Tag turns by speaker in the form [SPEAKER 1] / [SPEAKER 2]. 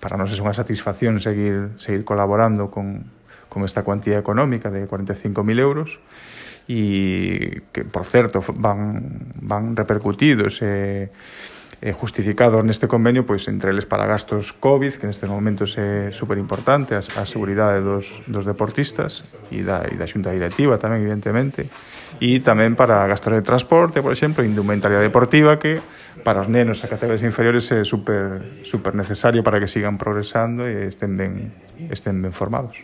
[SPEAKER 1] para nós é unha satisfacción seguir colaborando con esta cuantía económica de 45.000 euros e que, por certo, van repercutidos e justificados neste convenio, pois entre eles para gastos COVID, que nestes momentos é super importante, a seguridade dos deportistas e da xunta directiva tamén, evidentemente, e tamén para gastos de transporte, por exemplo, indumentaria deportiva, que para os nenos a categorías inferiores é super necesario para que sigan progresando e estén ben formados.